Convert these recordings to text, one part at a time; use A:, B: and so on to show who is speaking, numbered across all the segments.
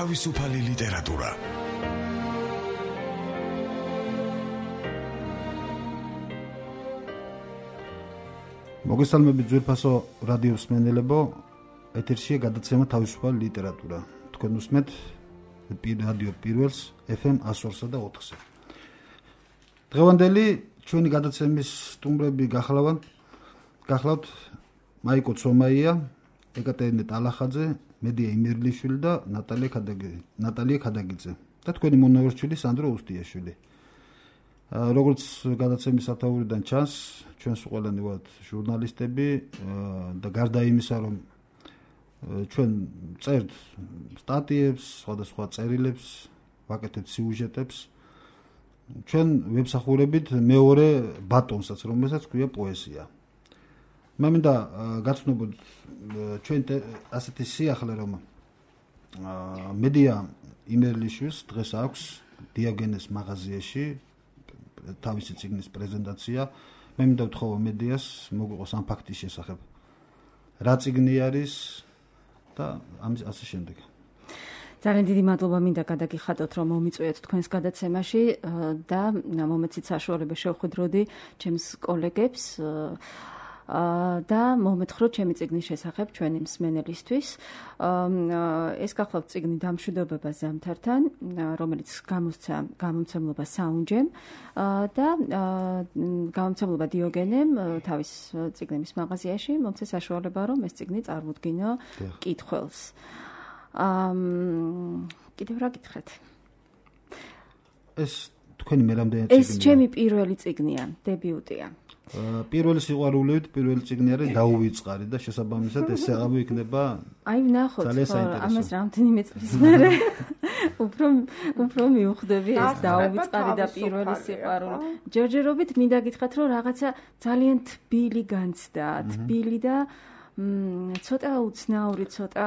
A: თავისუფალი ლიტერატურა.
B: მოგესალმებით ძვირფასო რადიოს მსმენელებო, ეთერშია გადაცემა თავისუფალი ლიტერატურა. თქვენ უსმენთ რადიო პირველს FM 102-სა და 4-ზე. დღევანდელი ჩვენი გადაცემის სტუმრები გახლავთ მაიკო ცომაია, ეკატერინე ტალახაძე, მედია იმერლიშვილი და ნატალია ქადაგიძე და თქვენი მონაკვეთშვილი სანდრო უსტიაშვილი. როგორც გადაცემის სათაურიდან ჩანს, ჩვენს ყველანი ვართ ჟურნალისტები და გარდა იმისა, რომ ჩვენ წერთ სტატიებს, სხვადასხვა წერილებს, ვაკეთებთ სიუჟეტებს, ჩვენ ვებსახურებით მეორე ბატონსაც, რომელსაც ქვია პოეზია. მე მინდა გაცნობოთ ჩვენ ასეთი სიახლე, რომ მედია იმერლიშვილს დღეს აქვს დიოგენეს მაღაზიაში თავისი წიგნის პრეზენტაცია. მე მინდა ვთხოვო მედიას მოგვიყოს ამ ფაქტის შესახებ. რა წიგნი არის და ამის ასე შემდეგ.
C: ძალიან დიდი მადლობა მინდა გადაგიხადოთ, რომ მომიწვიეთ თქვენს გადაცემაში და მომეცით საშუალება შევხვდროდი ჩემს კოლეგებს და მომეთხროთ ჩემი წიგნის შესახებ ჩვენი მსმენელისთვის. ეს გახლავთ წიგნი დამშვიდობება ზამთართან, რომელიც გამოსცა გამომცემლობა საუნჯემ და გამომცემლობა დიოგენემ თავის წიგნების მაღაზიაში მომცეს საშუალება, რომ ეს წიგნი წარმოდგინო კითხველს. კიდევ რა გითხრათ?
B: ეს თქვენი მე რამდენი წიგნია?
C: ეს ჩემი პირველი წიგნია, დებიუტია.
B: პირველი სიყვარულივით პირველი წიგნი არის დაუვიწყარი და შესაბამისად ეს აღავი იქნება.
C: აი ვნახოთ, ამას რამდენიმე წლის მერე უფრო მივხვდები ეს დაუვიწყარი და პირველი სიყვარული. ჯერჯერობით მინდა გითხრათ, რომ რაღაცა ძალიან თბილი განცდა, თბილი და ცოტა უცნაური, ცოტა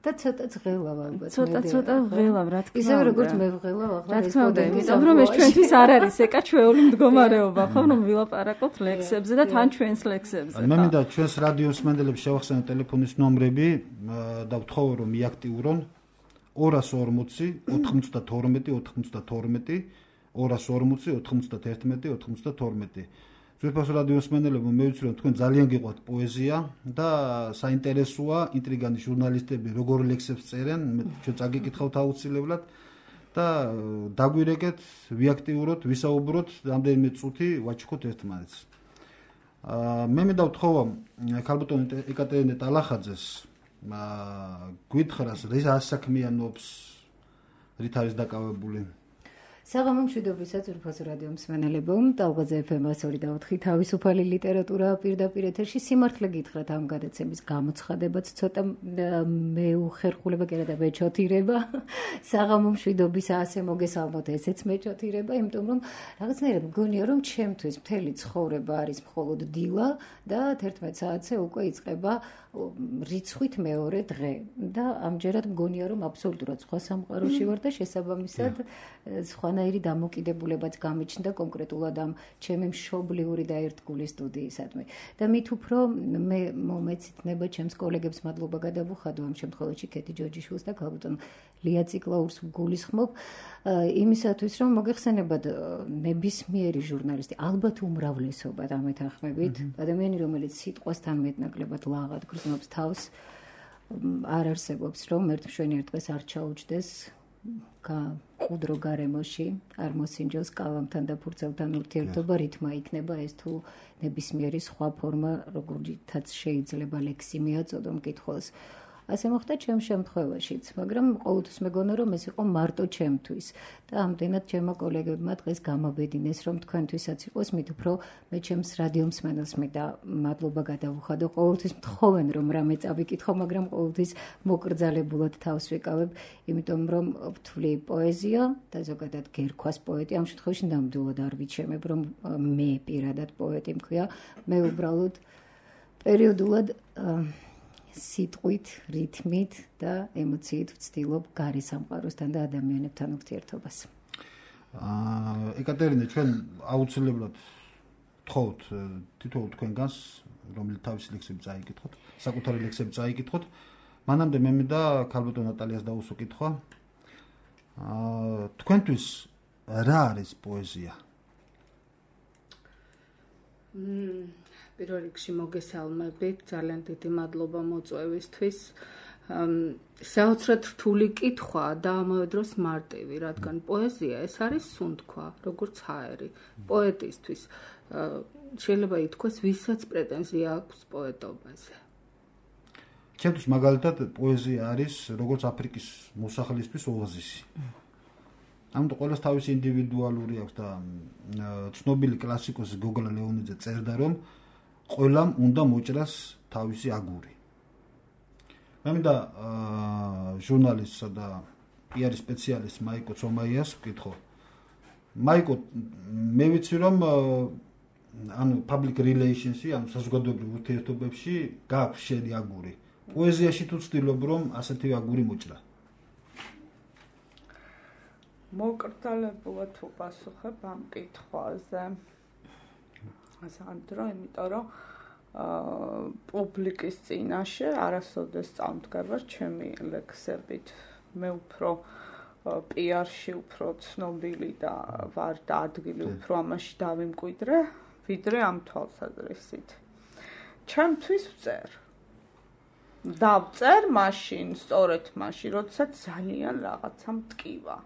D: და ცოტა ღელავ ალბათ.
C: ცოტა ღელავ, რა თქმა უნდა.
D: ისე როგორც მე ვღელავ ახლა
C: ეს პოდკასტი, რომ ეს ჩვენთვის არ არის ეკაჩვეული მდგომარეობა, ხო, რომ ვილაპარაკოთ ლექსებზე და თან ჩვენს ლექსებზე.
B: მე მინდა ჩვენს რადიოს მსმენელებს შევახსენოთ ტელეფონის ნომრები და ვთხოვო, რომ მიაქტიურონ 240 92 92 240 91 92. ძვირფასო რადიოს მსმენელებო, მე ვიცი, რომ თქვენ ძალიან გიყვართ პოეზია და საინტერესოა ინტრიგანი ჟურნალისტები როგორ ლექსებს წერენ, ჩვენ წაგიკითხავთ აუცილებლად და დაგვირეკეთ, ვიაქტიუროთ, ვისაუბროთ, რამდენიმე წუთი ვაჩუქოთ ერთმანეთს. მე მინდა ვთხოვო ქალბატონ ეკატერინე ტალახაძეს გვითხრას რა საქმიანობს, რით არის დაკავებული.
D: საღამო მშვიდობისა ძვირფასო რადიო მსმენელებო, ტალღაზე FM 102 და 4 თავისუფალი ლიტერატურა პირდაპირ ეთერში. სიმართლე გითხრათ, ამ გადაცემის გამოცხადებაც ცოტა მეუხერხულება კი არა და მეჩოთირება. საღამო მშვიდობისა ასე მოგესალმოთ, ესეც მეჩოთირება, იმიტომ რომ რაღაცნაირად მგონია, რომ ჩემთვის მთელი ცხოვრება არის მხოლოდ დილა და 11 საათზე უკვე იწყება რიცხვით მეორე დღე და ამჯერად მგონია, რომ აბსოლუტურად სხვა სამყაროში ვარ და შესაბამისად სხვანაირი დამოკიდებულებაც გამიჩნდა კონკრეტულად ამ ჩემი მშობლიური და ერთგული სტუდიისადმი. და მით უფრო მე მომეცითნება ჩემს კოლეგებს მადლობა გადავუხადო ამ შემთხვევაში კეთი ჯოჯიშვილს და ქალბატონ ლია ციკლაურს გულისხმობ იმისათვის, რომ მოგეხსენებათ ნებისმიერი ჟურნალისტი, ალბათ უმრავლესობა დამეთანხმებით, ადამიანი, რომელიც სიტყვასთან მეტნაკლებად ლაღად გრძნობს თავს, არ არსებობს, რომ ერთმშვენიერ დღეს არ ჩაუჯდეს ყუდრო გარემოში, არ მოსინჯოს კალამთან და ფურცელთან ურთიერთობა, რითმა იქნება ეს თუ ნებისმიერი სხვა ფორმა, როგორითაც შეიძლება ლექსი მიაწოდო მკითხველს. ასე მოხდა ჩემს შემთხვევაშიც, მაგრამ ყოველთვის მეგონა, რომ ეს იყო მარტო ჩემთვის და ამდენად ჩემო კოლეგებმა დღეს გამაბედინეს, რომ თქვენთვისაც იყოს, მით უფრო მე ჩემს რადიო მსმენელს მინდა მადლობა გადავუხადო. ყოველთვის მთხოვენ, რომ რამე წავიკითხო, მაგრამ ყოველთვის მოკრძალებულად თავს ვიკავებ, იმიტომ რომ ვთვლი პოეზია და ზოგადად გერქვას პოეტი, ამ შემთხვევაში ნამდვილად არ ვიჩემებ, რომ მე პირადად პოეტი მქვია, მე უბრალოდ პერიოდულად სიტყვით, რითმით და ემოციით ვცდილობ გარე სამყაროსთან და ადამიანებთან ურთიერთობას.
B: ეკატერინე, ჩვენ აუცილებლად ვთხოვთ თითოეულ თქვენგანს, რომელიც თავისი ლექსები წაიკითხოთ, საკუთარი ლექსები წაიკითხოთ მანამდე მე მინდა ქალბატონ ნატალიას დაუსვა კითხვა. თქვენთვის რა არის პოეზია?
A: პირველ რიგში მოგესალმებით, ძალიან დიდი მადლობა მოწვევისთვის. საოცრად რთული კითხვა და ამავე დროს მარტივი, რადგან პოეზია ეს არის სუნთქვა, როგორც ჰაერი. პოეტისთვის შეიძლება ითქვას, ვისაც პრეტენზია აქვს პოეტობაზე.
B: ჩემთვის მაგალითად პოეზია არის როგორც აფრიკის მოსახლისთვის ოაზისი. ამიტომ ყველას თავისი ინდივიდუალური აქვს და ცნობილი კლასიკოსი გოგოლა ლეონიძე წერდა, რომ ყველამ უნდა მოჭრას თავისი აგური. მე მინდა ჟურნალისტსა და პიარის სპეციალისტ მაიკო ცომაიას ვკითხო. მაიკო, მე ვიცი რომ public relations-ი, საზოგადოებრივ ურთიერთობებში გაქვს შენი აგური. პოეზიაში თუ ცდილობ რომ ასეთი აგური მოჭრა?
A: მოკრძალებულად უპასუხებ ამ კითხვაზე. სანდრო, იმიტომ რომ პუბლიკის წინაშე არასოდეს წამდგარ ჩემი ლექსებით. მე უფრო პიარში უფრო ცნობილი და ვარ და ადგილი უფრო ამაში დავიმკვიდრე, ვიდრე ამ თვალსაზრისით. ჩემთვის ვწერ. დავწერ მაშინ, სწორედ მაშინ, როდესაც ძალიან რაღაცა მტკივა.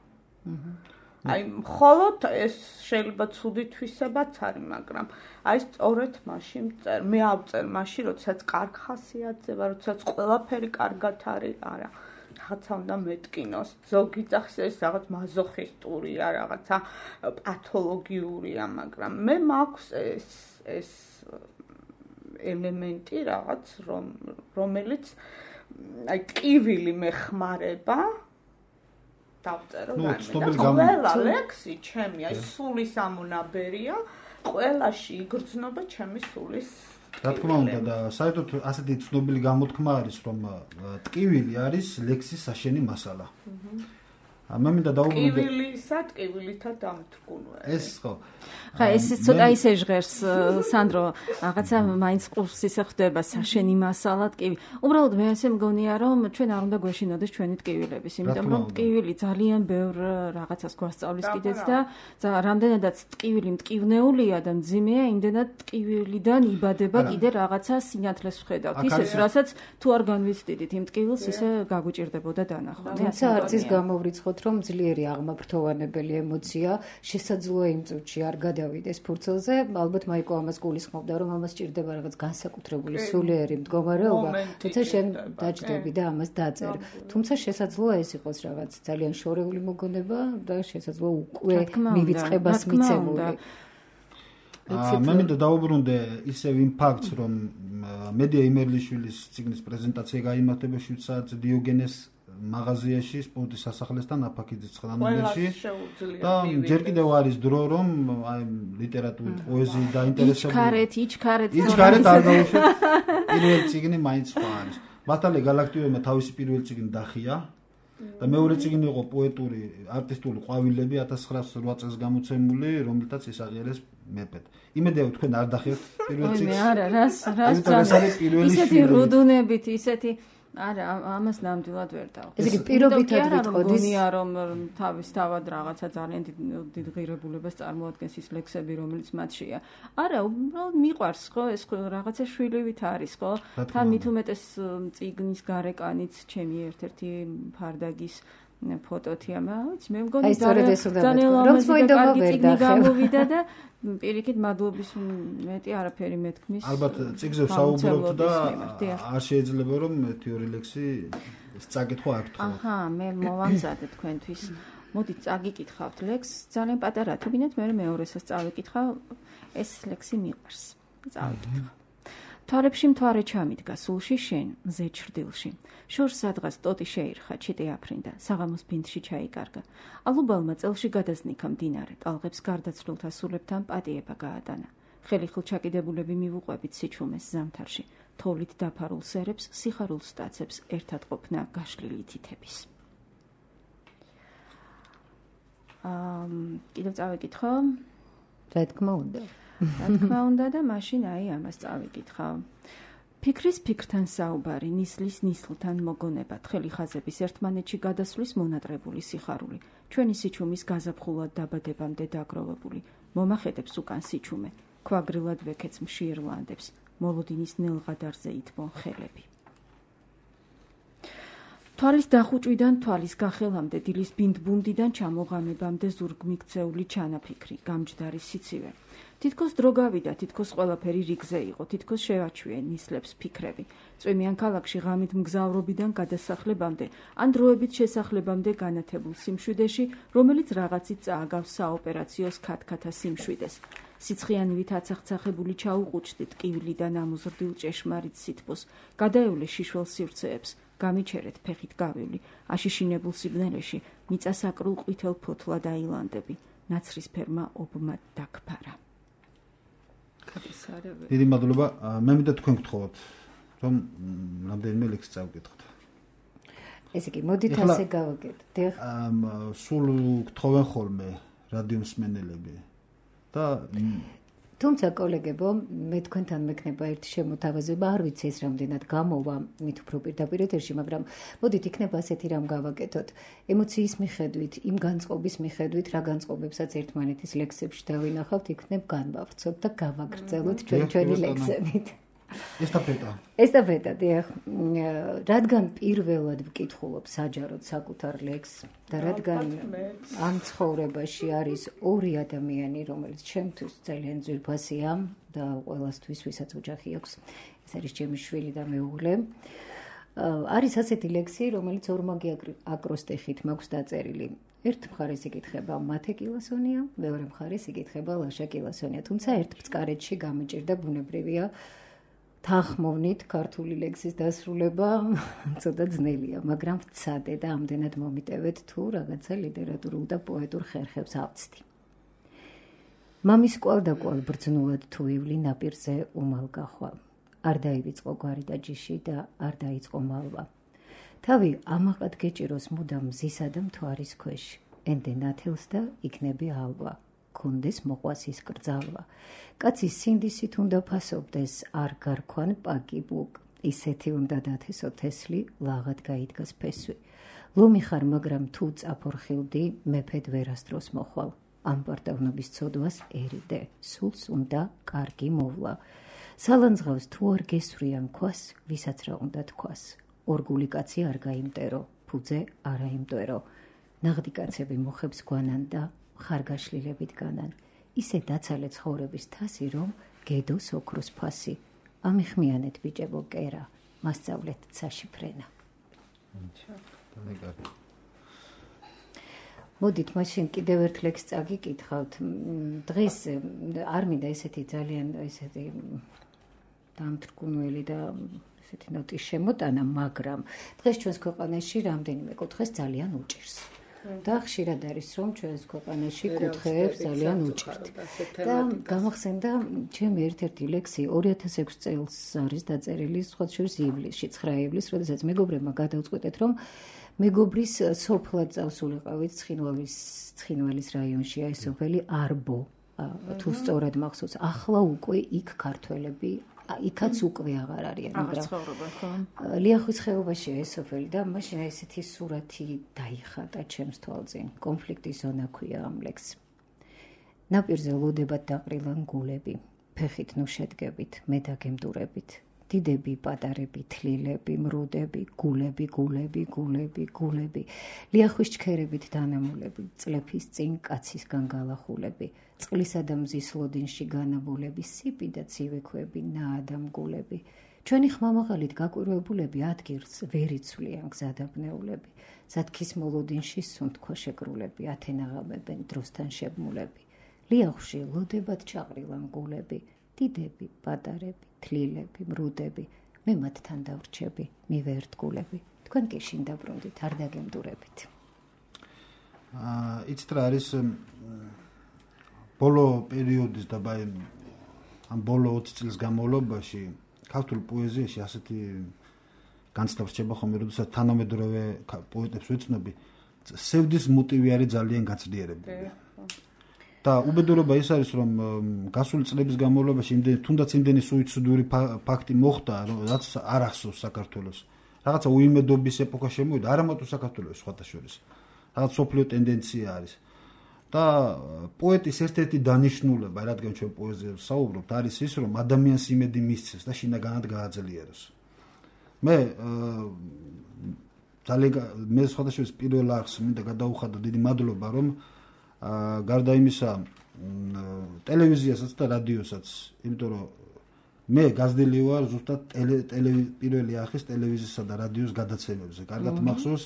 A: აი, მხოლოდ ეს შეიძლება ცუდი თვისებაც არის, მაგრამ აი სწორედ მაშინ ვწერ. მე ავწერ მაშინ, როდესაც კარგ ხასიათზე ვარ, როდესაც ყველაფერი კარგად არის, არა. რაღაცა უნდა მეტკინოს. ზოგი წახს ეს რაღაც მაზოხისტურია, რაღაცა პათოლოგიურია, მაგრამ მე მაქვს ეს ელემენტი რაღაც, რომელიც აი ტკივილი მეხმარება დავწერო ყველა ლექსი ჩემი, აი სულის ამონაბერია, ყველაში იგრძნობა ჩემი სულის.
B: რა თქმა უნდა და საერთოდ ასეთი ცნობილი გამოთქმა არის, რომ ტკივილი არის ლექსის საშენი მასალა. მე მინდა დაუბრუნდე
A: ტკივილისა ტკივილითა დამთგუნვა.
B: ეს ხო.
C: ხა ეს ცოტა ისე ჟღერს სანდრო, რაღაცა მაინც ყურს ისე ხდება საშენი მასალა ტკივილი. უბრალოდ მე ასე მგონია რომ ჩვენ არ უნდა გვეშინოდეს ჩვენი ტკივილების, იმიტომ რომ ტკივილი ძალიან ბევრ რაღაცას გვასწავლის კიდეც და რამდენადაც ტკივილი მტკივნეულია და მძიმეა, იმდენად ტკივილიდან იბადება კიდე რაღაცა სინათლეს ვხედავთ. ისეს, რასაც თუ არ განვიცდიდით იმ ტკივილს, ისე გაგვიჭირდებოდა დანახვა.
D: თუმცა არც ის გამოვრიცხოთ რომ ძლიერი აღმაფრთოვანებელი ემოცია შესაძლოა იმ წუთში არ გადავიდეს ფურცელზე, ალბათ მაიკო ამას გულისხმობდა, რომ ამას ჭირდება რაღაც განსაკუთრებული სულიერი მდგომარეობა, თუმცა შენ დაჭდები და ამას დაწერ. თუმცა შესაძლოა ეს იყოს რაღაც ძალიან შორეული მოგონება და შესაძლოა უკვე მივიწყებას მიცემული.
B: მე მინდა დაუბრუნდე ისევ იმ ფაქტს, რომ მედია იმერლიშვილის ციგნის პრეზენტაცია გაიმართება 7 საათზე დიოგენეს მაღაზიაში, სპორტის სასახლესთან აფაქიძის 9 ნომერში და ჯერ კიდევ არის დრო, რომ აი ლიტერატურით, პოეზიით დაინტერესებული. იჩქარეთ არ დაუშვით. პირველი ციგნი მაინც სხვა არის. მართალია გალაქტიურმა თავისი პირველი ციგნი დახია და მეორე ციგნი იყო პოეტური არტისტული ყვავილები 1908 წელს გამოცემული, რომლითაც ისაღიერეს მეფედ. იმედია თქვენ არ დახიოთ პირველ ციგნს.
C: არა, რას ისეთი რუდუნებით, ისეთი არა, ამას ნამდვილად ვერ დავხსნა.
D: ეს იგი პირობითად ვიტყოდის,
C: რომ თავის თავად რაღაცა ძალიან დიდ ღირებულებას წარმოადგენს ის ლექსები, რომელიც მათშია. არა, უბრალოდ მიყვარს, ხო, ეს რაღაცა შვილივით არის, ხო? და მით უმეტეს წიგნის გარეკანიც ჩემი ერთ-ერთი ფარდაგის ფოტოთია, მაგრამ მე მგონი ძალიან ლამაზი და კარგი წიგნი გამოვიდა და პირიქით მადლობის მეტი არაფერი მეთქმის.
B: ალბათ წიგნზე საუბრობთ და არ შეიძლება რომ თეორი ლექსი წაკითხვა არ გთხოვთ.
C: აჰა, მე მოვამზადე თქვენთვის. მოდით წაგიკითხავთ ლექსს, ძალიან პატარა თუ გინდათ, მე მეორესაც წავიკითხავ, ეს ლექსი მიყვარს. წავიკითხავ. თვალებში მთვარე ჩამიდგა სულში შენ მზე ჩრდილში. შორს სადღაც ტოტი შეირხა, ჩიტი აფრინდა, საღამოს ბინდში ჩაიკარგა. ალუბალმა წელში გადაზნიქა მდინარე, ტალღებს გარდაცვლილთა სულებთან პატიება გაატანა. ხელიხილ ჩაკიდებულები მივუყვებით სიჩუმეს ზამთარში. თოვლით დაფარულ სერებს, სიხარულს სტაცებს ერთად ყოფნა გაშლილი თითების. კიდევ წავიკითხო?
D: რა თქმა უნდა.
C: რა თქმა უნდა და მაშინ აი ამას წავიკითხავ. ფიქრის ფიქრთან საუბარი, ნისლის ნისლთან მოგონება, თხელი ხაზების ერთმანეთში გადასვლის მონატრებული სიხარული, ჩვენი სიჩუმის გაზაფხულად დაბადებამდე დაგროვებული, მომახედებს უკან სიჩუმე, ქვაგრილად ვექეც მშიერლანდებს, მოლოდინის ნელღადარზე ითმო ხელები. თვალის დახუჭვიდან თვალის გახელამდე, დილის ბინდბუნდიდან ჩამოღამებამდე ზურგმიქცეული ჩანაფიქრი, გამჯდარი სიცივე. თითქოს დრო გავიდა, თითქოს ყველაფერი რიგზე იყო, თითქოს შევაჩვიე ნისლებს ფიქრები. წვიმიან ქალაქში ღამით მგზავრობიდან გადასახლებამდე, ან დროებით შესახლებამდე განათებულ სიმშვიდეში, რომელიც რაღაცით წააგავს საოპერაციოს ქათქათა სიმშვიდეს. სიცხიანივით აცახცახებული ჩაუყუჩდით ტკივილიდან ამოზრდილ ჭეშმარიტ სითბოს, გადაევლე შიშველ სივრცეებს, გამიჩერეთ ფეხით გავივლი, აშიშინებულ სიბნელეში, მიწასაკრულ ყვითელ ფოთლა დაილანდები, ნაცრისფერმა ობმა დაგფარა.
B: დიდი მადლობა. მე მინდა თქვენ გთხოვოთ, რომ რამდენიმე ლექსი წავკითხოთ.
D: ესე იგი, მოდით ასე გავაკეთოთ.
B: სულ გთხოვენ ხოლმე რადიო მსმენელები და
D: თუმცა კოლეგებო, მე თქვენთან მექნება ერთი შემოთავაზება, არ ვიცი ეს რამდენად გამოვა მით უფრო პირდაპირ ეთერში, მაგრამ მოდით იქნება ასეთი რამ გავაკეთოთ. ემოციის მიხედვით, იმ განწყობის მიხედვით, რა განწყობებსაც ერთმანეთის ლექსებში დავინახავთ, იქნებ განვავრცოთ და გავაგრძელოთ ჩვენი ლექსებით. ესტაფეტა, დიახ. რადგან პირველად ვკითხულობ საჯაროდ საკუთარ ლექსს და რადგან ამ ცხოვრებაში არის ორი ადამიანი, რომელიც ჩემთვის ძალიან ძვირფასია და ყველასთვის, ვისაც ოჯახი აქვს, ეს არის ჩემი შვილი და მეუღლე. არის ასეთი ლექსი, რომელიც ორმაგი აკროსტიხით მაქვს დაწერილი. ერთ მხარეს იკითხება მათე კილასონია, მეორე მხარეს იკითხება ლაშა კილასონია, თუმცა ერთ ბწკარეთში გამიჭირდა ბუნებრივია თანხმოვნით ქართული ლექსის დასრულება ცოტა ძნელია, მაგრამ ვცადე და ამდენად მომიტევეთ თუ რაღაცა ლიტერატურულ და პოეტურ ხერხებს ავწდი. მამის კვალ-დაკვალ ბრძნულად თუ ივლი ნაპირზე უმალ გახვა. არ დაივიწყო გვარი და ჯიში და არ დაიწყო მალვა. თავი ამაყად გეჭიროს მუდამ მზისა და მთვარის ქვეშ. ენდე ნათელს და იქნები ალვა. კონდეს მოყვასის კრძალვა. კაცის სინდისით უნდა ფასობდეს, არ გარქვან პაკი ბუკ. ისეთი უნდა დათესო თესლი, ლაღად გაიდგას ფესვი. ლომი ხარ, მაგრამ თუ წაფორხილდი, მეფედ ვერასდროს მოხვალ. ამ პარტავნობის ცოდვას ერიდე, სულს უნდა კარგი მოვლა. სალანძღავს თუ არ გესვრიან ქვას, ვისაც რა უნდა თქვას. ორგული კაცი არ გაიმტერო, ფუძე არ აიმტვერო. ნაღდი კაცები მოხებს გვანან და ხარგაშლილებით განან. ისე დაცალე ცხოვრების თასი, რომ გედოს ოქროს ფასი. ამიხმიანეთ ბიჭებო კერა, მასწავლეთ ცაში ფრენა. მოდით მაშინ კიდევ ერთ ლექსს წაგიკითხავთ. დღეს არ მინდა ესეთი ძალიან ესეთი დამთრგუნველი და ესეთი ნოტის შემოტანა, მაგრამ დღეს ჩვენს ქვეყანაში რამდენიმე კუთხეს ძალიან უჭირს. და ხშირად არის, რომ ჩვენს ქვეყანაში კუთხეებს ძალიან უჭირთ. და გამახსენდა ჩემი ერთ-ერთი ლექსი 2006 წელს არის დაწერილი, სხვა შორის ივლისში, 9 ივლისს, როდესაც მეგობრებმა გადავწყვეტეთ, რომ მეგობრის სოფლად წავსულიყავით ცხინვალის რაიონში, ეს სოფელი არბო, თუ სწორად მახსოვს. ახლა უკვე იქ ქართველები იქაც უკვე აღარ არიან, მაგრამ ლიახვის ხეობაშია ეს სოფელი და მაშინ ესეთი სურათი დაიხატა ჩემს თვალწინ. კონფლიქტის ზონა ქვია ამ ლექსს. ნაპირზე ლოდებად დაყრილან გულები, ფეხით ნუ შედგებით, მე დაგემდურებით. დიდები, პატარები, თლილები, მრუდები, გულები. ლიახვის ჩქერებით დანამულები, წლეფის წინ კაცისგან გალახულები. წყლისა და მზის ლოდინში განაბულები, სიპი და ცივი ქვები, ნაადამგულები. ჩვენი ხმამაღალით გაკვირვებულები ადგილს ვერ იცვლიან გზადაბნეულები. ზათქის მოლოდინში სუნთქვა შეკრულები, ათენაღამებენ დროსთან შებმულები. ლიახვში ლოდებად ჩაყრილან გულები, დიდები, პატარები, თლილები, მრუდები. მე მათთან დავრჩები, მივერტგულები. თქვენ კი შინ დაბრუნდით, არ დაგემდურებით.
B: იცით რა არის ბოლო პერიოდის და ამ ბოლო 20 წლის განმავლობაში ქართულ პოეზიაში ასეთი განცდა რჩება ხოლმე, როდესაც თანამედროვე პოეტებს ვეცნობი, სევდის მოტივი არის ძალიან გაცდიერებული. და უბედურება ის არის, რომ გასული წლების განმავლობაში თუნდაც იმდენი სუიციდური ფაქტი მოხდა, რაც არ ახსოვს საქართველოს. რაღაცა უიმედობის ეპოქა შემოვიდა, არა მარტო საქართველოს, სხვათა შორის. რაღაც სოფლიო ტენდენცია არის. და პოეტის ერთ-ერთი დანიშნულება, რადგან ჩვენ პოეზიაზე საუბრობთ, არის ის, რომ ადამიანს იმედი მისცეს და შინაგანად გააძლიეროს. მე სხვათა შორის პირველ არხს მინდა გადაუხადო დიდი მადლობა, რომ გარდა იმისა ტელევიზიასაც და რადიოსაც, იმიტომ რომ მე გაზრდილი ვარ ზუსტად პირველი არხის ტელევიზიისა და რადიოს გადაცემებზე. კარგად მახსოვს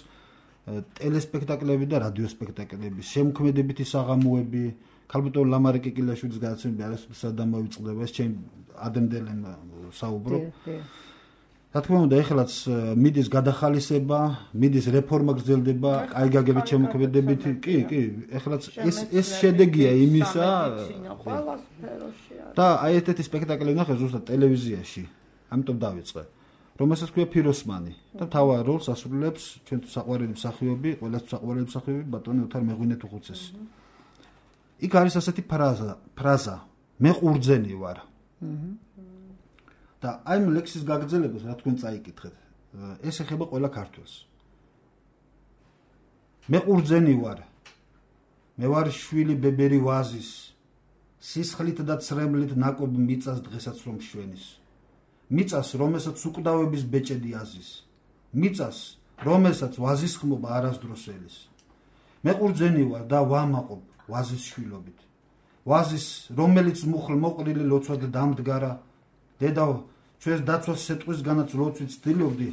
B: ტელესპექტაკლები და რადიოსპექტაკლები, შემოქმედებითი საღამოები, ქალბატონ ლამარე კიკილაშვილის გადაცემები არასოდეს არ დამოვიწყდება, ეს ჩემ ადრინდელენ საუბრობ. რა თქმა უნდა, ეხლაც მიდის გადახალისება, მიდის რეფორმა გრძელდება, კაი გაგებით შემოქმედებით, კი, ეხლაც ეს შედეგია იმისა და აი ერთ-ერთი სპექტაკლი ნახე ზუსტად ტელევიზიაში, ამიტომ დავიწყე. რომელსაც ქვია ფიროსმანი და მთავარ როლს ასრულებს ჩვენ საყვარელი მსახიობი, ყველას საყვარელი მსახიობი ბატონი ოთარ მეღვინეთუხუცესი. იქ არის ასეთი ფრაზა, მე ყურძენი ვარ. და აი ამ ლექსის გაგრძელებას რა თქვენ წაიკითხეთ, ეს ეხება ყველა ქართველს. მე ყურძენი ვარ. მე ვარ შვილი ბებერი ვაზის, სისხლით და ცრემლით ნაკობ მიწას დღესაც რომ შვენის. მიწას, რომელსაც უკვდავების ბეჭედი აზის. მიწას, რომელსაც ვაზის ხმობა არასდროს ელის. მე ყურძენი ვარ და ვამაყობ ვაზის შვილობით. ვაზის, რომელიც მუხლ მოყრილი ლოცვად დამდგარა. დედავ, ჩვენს დაცვას სეტყვისგანაც ლოცვით ცდილობდი,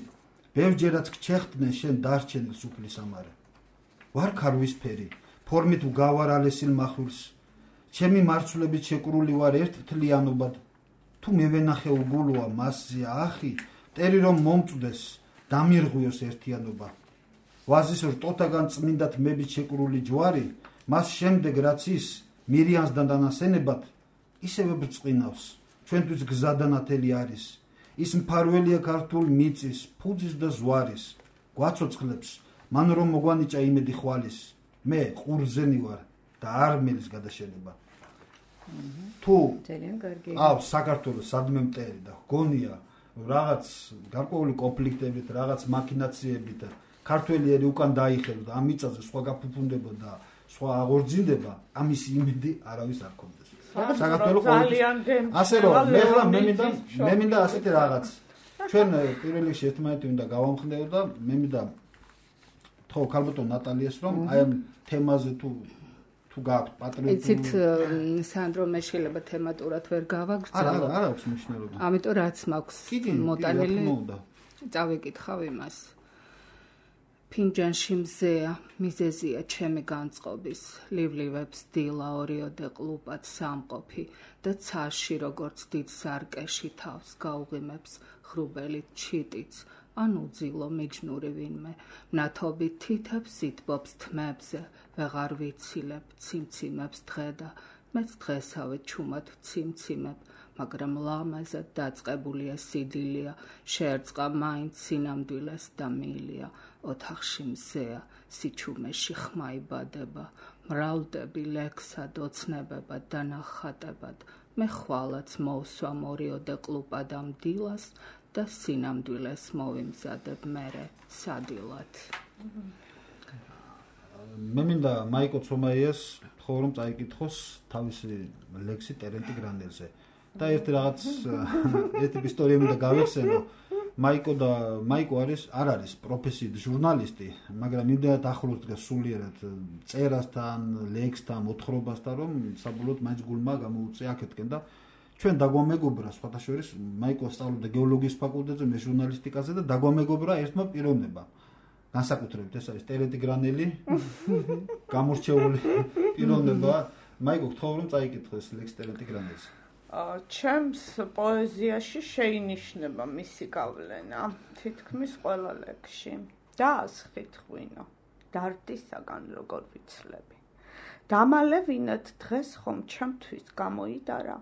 B: ბევრჯერაც გჩეხდნენ შენ დარჩენილ სუფლის ამარე. ვარ ქარვისფერი, ფორმით ვგავარ ალესილ მახვილს. ჩემი მარცვლებით შეკრული ვარ ერთთლიანობად. თუ მევენახე უგულოა მასზე ახი, მტერი რომ მომწვდეს, დამირღვიოს ერთიანობა. ვაზის რტოთაგან წმინდათ მებით შეკრული ჯვარი, მას შემდეგ რაც ის მირიანს და დანასენებად, ისევე ბრწყინავს, ჩვენთვის გზა და ნათელი არის. ის მფარველია ქართულ მიწის, ფუძის და ზვარის. გვაცოცხლებს, მან რომ მოგვანიჭა იმედი ხვალის. მე ყურძენი ვარ და არმელის გადაშენება. თუ საქართველოს სადმე მტერი და გონია რაღაც გარკვეული კონფლიქტებით, რაღაც მაქინაციებით ქართველი ერი უკან დაიხევს და ამ მიწაზე სხვა გაფუფუნდება და სხვა აღორძინდება, ამის იმედი არავის არ ქონდეს. საქართველოს ასე რომ მე მინდა ასეთი რაღაც. ჩვენ პირველ რიგში ერთმანეთი უნდა გავამხნევო და მე მინდა თქო ქალბატონ ნატალიას რომ აი ამ თემაზე თუ გააქვთ პატრიოტული.
A: იცით სანდრო მე შეიძლება თემატურად ვერ გავაგრძელო.
B: არა აქვს მნიშვნელობა.
A: ამიტომ რაც მაქვს მოტანილი წავიკითხავ იმას. ფინჯანში მზეა, მიზეზია ჩემი განწყობის, ლივლივებს დილა ორიოდე ყლუპად სამყოფი და ცაში როგორც დიდ სარკეში თავს გაუღიმებს ხრუბელით ჩიტიც, ან უძილო მიჯნური ვინმე, მნათობით თითებს იტბობს თმებზე, ვეღარ ვიცილებ ციმციმებს დღე და მეც დღესავე ჩუმად ვციმციმებ, მაგრამ ლამაზად დაწყებულია სიდილია, შეერწყა მაინც სინამდვილეს და მილია, ოთახში მზეა, სიჩუმეში ხმა იბადება, მრავლდები ლექსად, ოცნებებად და ნახატებად, მე ხვალაც მოვსვამ ორიოდე ყლუპად ამ დილას და სინამდვილეს მოვიმზადებ მერე სადილად.
B: მე მინდა მაიკო ცომაიას ხო რომ წაიკითხოს თავისი ლექსი ტერენტი გრანდელზე. და ერთი ისტორია მინდა გავიხსენო. მაიკო არ არის პროფესიით ჟურნალისტი, მაგრამ იმდენად ახლოს დგას სულიერად წერასთან, ლექსთან, მოთხრობასთან, რომ საბოლოოდ მაინც გულმა გამოუწია აქეთკენ და ჩვენ დაგვამეგობრა სხვათა შორის მაიკო სწავლობდა გეოლოგიის ფაკულტეტზე, მე ჟურნალისტიკაზე და დაგვამეგობრა ერთმა პიროვნება. განსაკუთრებით ეს არის ტერენტი გრანელი, გამორჩეული პიროვნება. მაიკო, გთხოვ რომ წაიკითხოს ლექს ტერენტი გრანელზე.
A: ჩემს პოეზიაში შეინიშნება მისი გავლენა თითქმის ყველა ლექსში. დაასხით ღვინო, დარდისაგან როგორ ვიცლები. დამალევინეთ დღეს ხომ ჩემთვის გამოიდარა.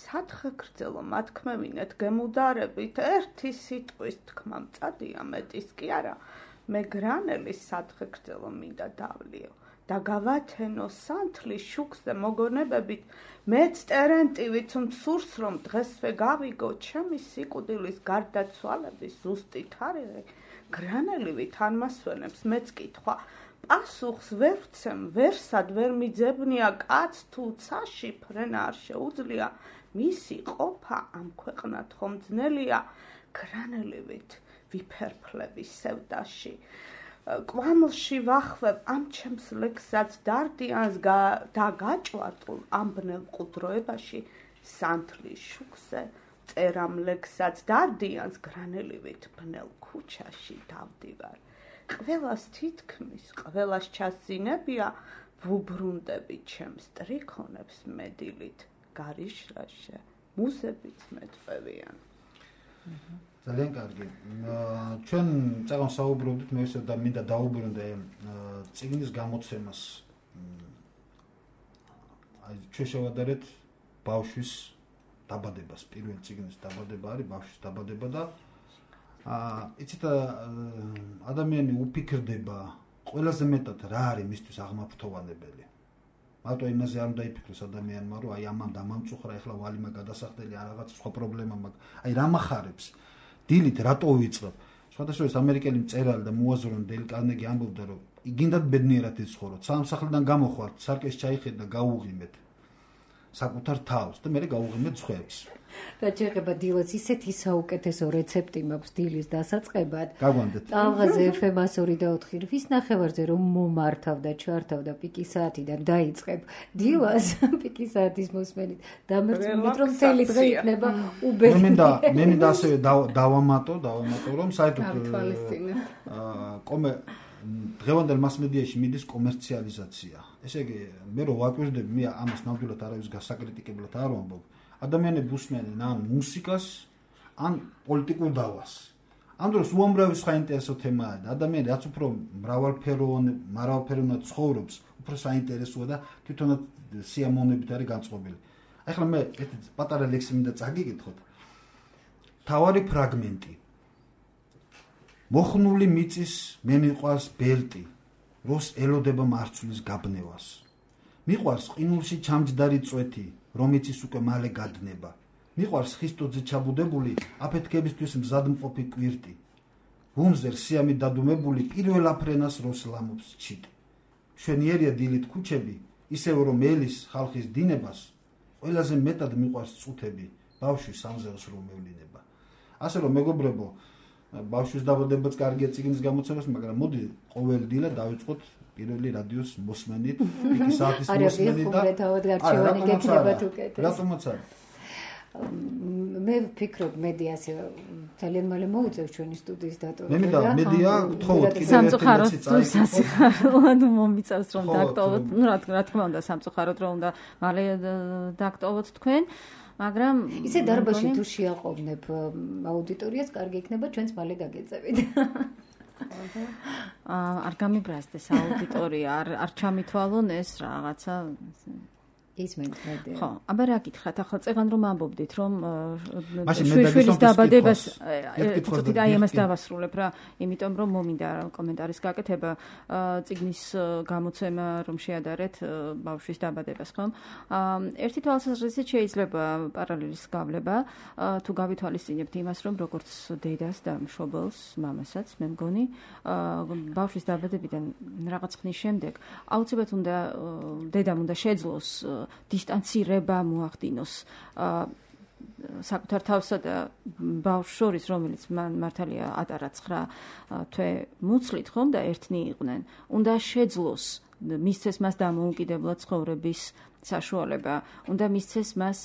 A: სათხე გრძელო მათქმევინეთ გემუდარებით, ერთი სიტყვის თქმა მწადია მეტის კი არა. მე გრანელის სათხე გრძელო მინდა დავლიო და გავათენო სანთლის შუქზე მოგონებებით მეც ტერენტივით მსურს რომ დღესვე გავიგო ჩემი სიკვდილის გარდაცვალების ზუსტი თარიღი გრანელივით ანმასვენებს მეც კითხვა პასუხს ვერ ვცემ ვერსად ვერ მიძებნია კაც თუ ცაში ფრენა არ შეუძლია მისი ყოფა ამ ქვეყნად ხომ ძნელია გრანელივით ვიფერფლები სევდაში კვამლში ვახვევ ამ ჩემს ლექსსაც დარდიანს და გაჭვარტულ ამ ბნელ მყუდროებაში სანთლის შუქზე წერამ ლექსსაც დარდიანს გრანელივით ბნელ ქუჩაში დავდივარ ყველას თითქმის ყველას ჩასძინებია ვუბრუნდები ჩემს ტრიქონებს მედილით გარიშრაშე მუზებიც მეტყვევიან
B: ძალიან კარგი. ჩვენ წაღან საუბრობდით მე ისე და მინდა დაუბრუნდე წიგნის გამოცემას. აი ჩვენ შევადარეთ ბავშვის დაბადებას, პირველი წიგნის დაბადება არის ბავშვის დაბადება და იცით ადამიანი უფიქრდება ყველაზე მეტად რა არის მისთვის აღმაფრთოვანებელი. მარტო იმაზე არ უნდა იფიქროს ადამიანმა, რომ აი ამან დამამწუხრა, ეხლა ვალიმა გადასახდელი რაღაც სხვა პრობლემა მაქვს. აი რა מחარებს დილით რატო ვიწყებ? სხვადასხვა ამერიკელი მწერალი და მოაზროვნე დეილ კარნეგი ამბობდა, რომ გინდათ ბედნიერად იცხოვროთ. სამსახლიდან გამოხვართ, სარკეს ჩაიხედეთ და გაუღიმეთ საკუთარ თავს და მე გაუღიმეთ სხვებს.
D: და შეიძლება დილას ისეთი საუკეთესო რეცეპტი მაქვს დილის დასაწყებად.
B: გაგვანდეთ.
D: ტალღაზე FM-102 და 4 რის ნახევარზე რომ მომართავ და ჩართავ და პიკის საათიდან დაიწყებ დილას პიკის საათის მოსმენით დამერწმუნდით რომ მთელი დღე იქნება უბედური.
B: მე მინდა ასევე დავამატო რომ საერთოდ დღევანდელ მასმედიაში მიდის კომერციალიზაცია. ესე იგი მე რო ვაკვირდები მე ამას ნამდვილად არავის გასაკრიტიკებლად არ ვამბობ. ადამიანები უსმენენ ან მუსიკას, ან პოლიტიკურ დავას. ამ დროს უამრავი სხვა ინტერესო თემაა და ადამიანი რაც უფრო მრავალფეროვნად ცხოვრობს, უფრო საინტერესოა და თვითონაც სიამოვნებით არის განწყობილი. ახლა მე ერთი პატარა ლექსი მინდა წაგიკითხოთ. თავარი ფრაგმენტი. მოხნული მიწის მე მიყვარს ბელტი, როს ელოდება მარცვლის გაბნევას. მიყვარს ყინულში ჩამჯდარი წვეთი, რომიც ის უკვე მალე გადნება. მიყვარს ხისტოძე ჩაბუდებული აფეთქებისთვის მზადმყოფი კვირტი. ბუმზე რსიამი დადუმებული პირველ აფრენას როს ლამობს ჩიტი. მშვენიერია დილით ქუჩები, ისევ რომ ელის ხალხის დინებას, ყველაზე მეტად მიყვარს წუთები, ბავშვის სამზელს რომ მევლინება. ასე რომ მეგობრებო, ბავშვის დაბადებაც კარგია წიგნის გამოცემას, მაგრამ მოდი ყოველ დილა დავიწყოთ პირველი რადიოს მოსმენით, პიკის საათის მოსმენით და
D: გარჩევანი გექნებათ უკეთეს.
B: რატომაც არის?
D: მე ვფიქრობ მედიას ძალიან მალე მოუწევს ჩვენი სტუდიის დატოვება.
B: მე მინდა მედია გთხოვოთ კიდევ
C: სამწუხაროდ სასიხარულად მომიწევს რომ დაქტოვოთ, ну რა თქმა უნდა სამწუხაროდ რომ უნდა მალე დაქტოვოთ თქვენ. მაგრამ
D: ისე დარბაზში თუ შეაყოვნებ აუდიტორიას, კარგი იქნება ჩვენც მალე გაგეწევით.
C: არ გამიბრაზდეს აუდიტორია, არ ჩამითვალონ ეს რაღაცა
D: ისმენთ მედია.
C: ხო, აბა რა გითხრათ, ახლა წეგან რომ ამბობდით, რომ შვილის დაბადებას ცოტა აი ამას დავასრულებ რა, იმიტომ რომ მომინდა კომენტარის გაკეთება წიგნის გამოცემა რომ შეადარეთ ბავშვის დაბადებას, ხო? ერთი თვალსაზრისით შეიძლება პარალელის გავლება, თუ გავითვალისწინებთ იმას, რომ როგორც დედას და მშობელს, მამასაც, მე მგონი, ბავშვის დაბადებიდან რაღაც ხნის შემდეგ აუცილებლად უნდა დედამ უნდა შეძლოს დისტანცირება მოახდინოს საკუთარ თავსა და ბავშვს შორის, რომელიც მართალია ატარა 9 თვე მუცლით, ხომ და ერთნი იყვნენ. უნდა შეძლოს მისცეს მას დამოუკიდებლად ცხოვრების საშუალება, უნდა მისცეს მას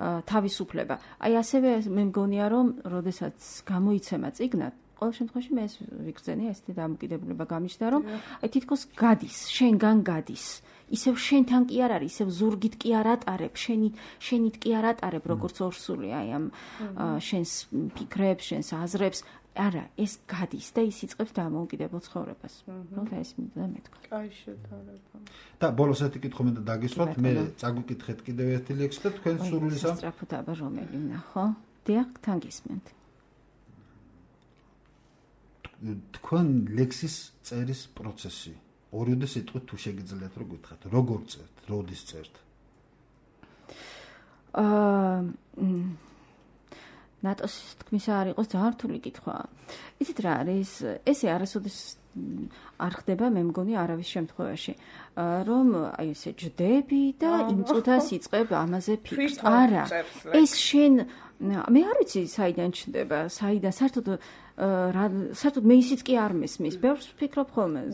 C: თავისუფლება. აი ასევე მე მგონია, რომ როდესაც გამოიცემა წიგნად, ყოველ შემთხვევაში მე ეს ვიგრძენი, ესეთი დამოკიდებულება გამიჩნდა, რომ აი თითქოს გადის, შენგან გადის. ისევ შენთან კი არ არის, ისევ ზურგით კი არ ატარებ, შენით კი არ ატარებ, როგორც ორსული, აი ამ შენს ფიქრებს, შენს აზრებს, არა, ეს გადის და ის იწყებს დამოუკიდებელ ცხოვრებას. რა ეს მინდა მეთქვა.
A: კაი შედარება.
B: და ბოლოს ერთი კითხვა მინდა დაგისვათ, მე წაგვიკითხეთ კიდევ ერთი ლექსი და თქვენ სურვილისა.
C: სწრაფად აბა რომელი ვნახო? დიახ, თან გისმენთ.
B: თქვენ ლექსის წერის პროცესი ორიოდე სიტყვით თუ შეგიძლიათ რომ გითხრათ, როგორ წერთ, როდის წერთ?
C: ნატოს თქმისა არ იყოს ძალიან რთული კითხვა. იცით რა არის? ესე არასოდეს არ ხდება, მე მგონი არავის შემთხვევაში, რომ აი ესე ჯდები და იმ წუთას იწყებ ამაზე ფიქრს. არა, ეს შენ მე არ ვიცი საიდან ჩნდება, საიდან საერთოდ მე ისიც კი არ მესმის. ბევრს ვფიქრობ ხოლმე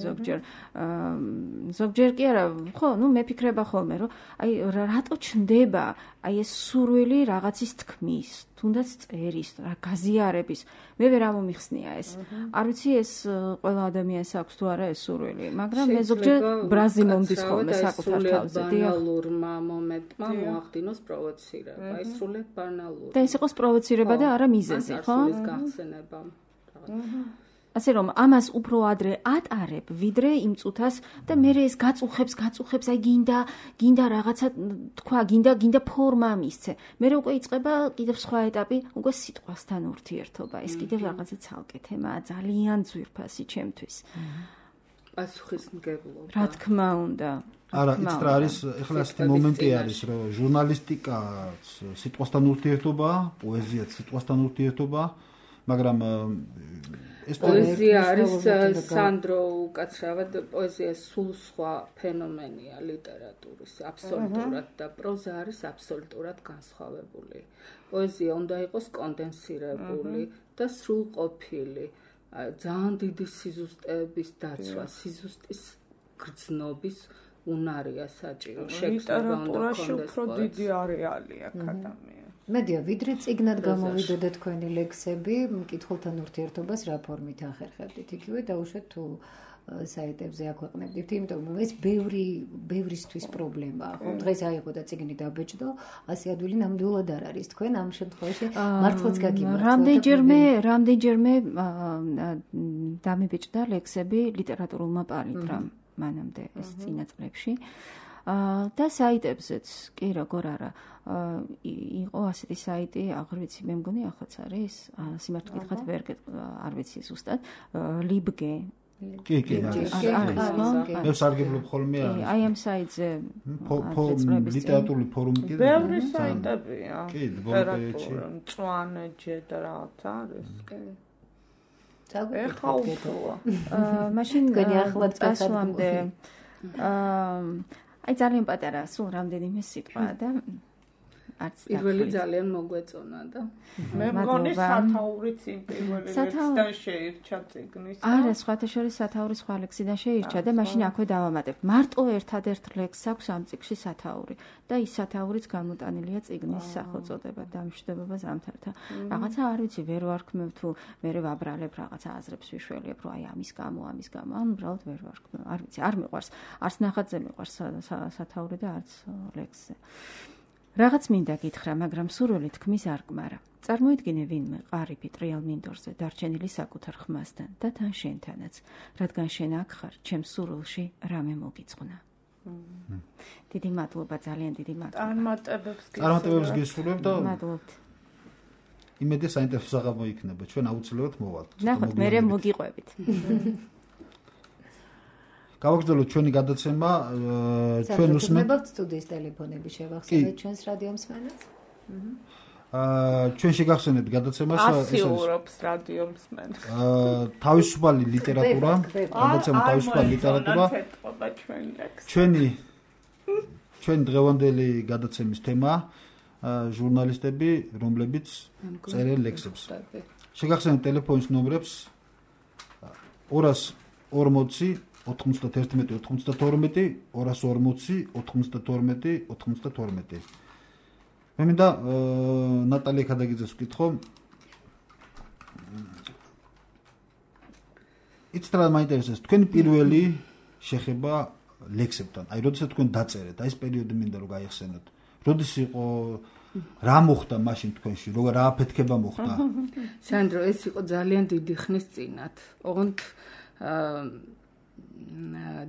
C: ზოგჯერ კი არა, ხო, მე ფიქრება ხოლმე, რომ აი რატო ჩნდება აი ეს სურვილი რაღაცის თქმის, თუნდაც წერის, რა გაზიარების. მე ვერ ამომიხსნია ეს. არ ვიცი ეს ყველა ადამიანს აქვს თუ არა ეს სურვილი, მაგრამ მე ზოგჯერ ბრაზი მომდის ხოლმე საკუთარ თავზე.
A: ბანალურმა მომენტმა მოახდინოს პროვოცირება, აი სრულად ბანალური.
C: და ეს იყოს პროვოცირება და არა მიზეზი, ხო?
A: ეს გახსენება.
C: ასე რომ ამას უფრო ადრე ატარებ, ვიდრე იმ წუთას და მე ეს გაწუხებს, აი გინდა რაღაცა თქვა, გინდა ფორმა მისცე. მე უკვე იწყება კიდევ სხვა ეტაპი, უკვე სიტყვასთან ურთიერთობა. ეს კიდევ რაღაცა ცალკე თემაა, ძალიან ძვირფასი ჩემთვის.
A: პასუხისმგებლობა.
C: რა თქმა უნდა.
B: არა, ის რა არის, ეხლა ასეთი მომენტი არის, რომ ჟურნალისტიკა სიტყვასთან ურთიერთობაა, პოეზია სიტყვასთან ურთიერთობაა, მაგრამ ეს
A: პოეზია არის სანდრო უკაცრავად პოეზია სულ სხვა ფენომენია ლიტერატურის აბსოლუტურად და პროზა არის აბსოლუტურად განსხვავებული. პოეზია უნდა იყოს კონდენსირებული და სრულყოფილი, ძალიან დიდი სიზუსტეების დაცვა, სიზუსტის გრძნობის უნარია საჭირო.
E: ლიტერატურაში უფრო დიდი არეალი აქვს ადამიანს.
D: მედია, ვიდრე წიგნად გამოვიდოდა თქვენი ლექსები, მკითხველთან ურთიერთობას რა ფორმით ახერხებდით? იგივე დაუშვათ თუ საიტებზე აქვეყნებდით, იმიტომ რომ ეს ბევრისთვის პრობლემაა. ხო, დღეს აიღო და წიგნი დაბეჭდო, ასე ადვილი ნამდვილად არ არის. თქვენ ამ შემთხვევაში მართლაც გაგიმართლეთ.
C: რამდენჯერმე დამებეჭდა ლექსები ლიტერატურულმა პალიტრამ მანამდე ეს წინა წლებში. და საიტებზეც კი როგორ არა იყო ასეთი საიტი, აღარ ვიცი, მე მგონი ახლაც არის, სიმართლე გითხრათ ვერ არ ვიცი ზუსტად, ლიბგე.
B: კი, მე სარგებლობ ხოლმე არის.
C: აი ამ საიტზე
B: ლიტერატურული ფორუმი კიდე
E: ბევრი საიტებია.
B: კი, ბოლოებში
E: მწვანეჯე და რაღაც არის, კი.
D: ეხლა
E: უფრო.
C: მაშინ გასვლამდე აი ძალიან პატარა, სულ რამდენიმე სიტყვა და არც
A: პირველი ძალიან მოგვეწონა და
E: მე მგონი სათაურიც იმ პირველი ლექსიდან შეირჩა წიგნის.
C: არა, სხვათა შორის სათაური სხვა ლექსიდან შეირჩა და მაშინ აქვე დავამატებ. მარტო ერთადერთ ლექსს აქვს ამ წიგნში სათაური და ის სათაურიც გამოტანილია წიგნის სახელწოდება დამშვიდობა ზამთართან. რაღაცა არ ვიცი, ვერ ვარქმევ თუ მე ვაბრალებ რაღაცა აზრებს ვიშველებ, რომ აი ამის გამო, ან უბრალოდ ვერ ვარქმევ. არ ვიცი, არ მიყვარს, არც ნახატზე მიყვარს სათაური და არც ლექსზე. რაღაც მინდა გითხრა, მაგრამ სურვილი თქმის არ გმარა. წარმოიდგინე ვინმე ყარიბი ტრიალ მინდორზე დარჩენილი საკუთარ ხმასთან და თან შენთანაც, რადგან შენ აქ ხარ, ჩემს სურვილში რამე მოგიწყნა. დიდი მადლობა, ძალიან დიდი მადლობა.
B: წარმატებებს გისურვებ და
C: მადლობთ.
B: იმედი საინტერესო საღამო იქნება, ჩვენ აუცილებლად მოვალთ.
C: ნახოთ, მე მოგიყვებით.
B: გავაგრძელოთ ჩვენი გადაცემა, ჩვენ უსმენთ
D: სტუდიის ტელეფონები შევახსენეთ ჩვენს რადიო მსმენელს.
B: ჩვენ შეგახსენებთ გადაცემას
E: ასიურობს რადიო მსმენელს.
B: თავისუფალი ლიტერატურა, გადაცემა თავისუფალი ლიტერატურა. ჩვენი დღევანდელი გადაცემის თემაა ჟურნალისტები, რომლებიც წერენ ლექსებს. შეგახსენებთ ტელეფონის ნომრებს 240 91 92 240 92 92. მე მინდა ნატალია ქადაგიძეს ვკითხო. იცით რა მაინტერესებს თქვენი პირველი შეხება ლექსებთან? აი, როდესაც თქვენ დაწერეთ, აი ეს პერიოდი მინდა რომ გაიხსენოთ. როდის იყო, რა მოხდა მაშინ თქვენში, რა აფეთქება მოხდა?
A: სანდრო, ეს იყო ძალიან დიდი ხნის წინათ. ოღონდ